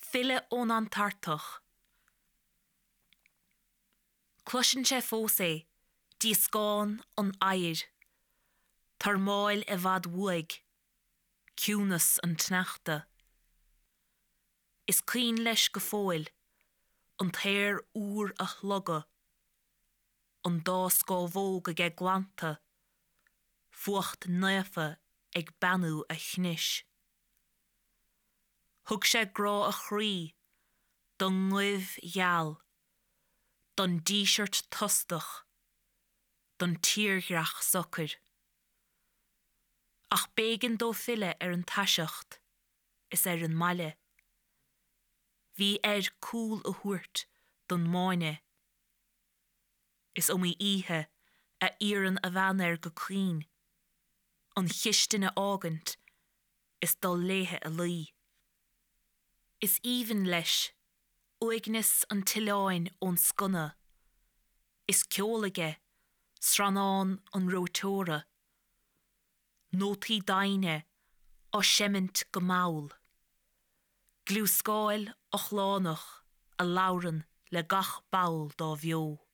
Filleadh ón Antartach. Cloiseann sé fós é, díoscán an oighir, tormáil i bhfad uaidh, ciúnas an tsneachta. Is cuimhin leis go fóill an t-aer úr a shlogadh, an dá scámhóg aige glanta, fuacht naofa ag beannú a chnis. Thug sé grá a chroí don ngoimh gheal, don díseart tostach, don tírdhreach socair. Ach b'éigean dó filleadh ar an taiseacht is ar an mbaile. Bhí air cúl a thabhairt don mbáine. Is iomaí oíche a iarrann a bhean air go caoin an chistin a fhágaint is dul léithe a luí. Is aoibhinn leis uaigneas an tsoileáin ón sconna, is ceol aige srannán an reoiteora, nótaí doimhne á seimint go mall, gliúscáil ochlánach a labhrann le gach ball dá bheo.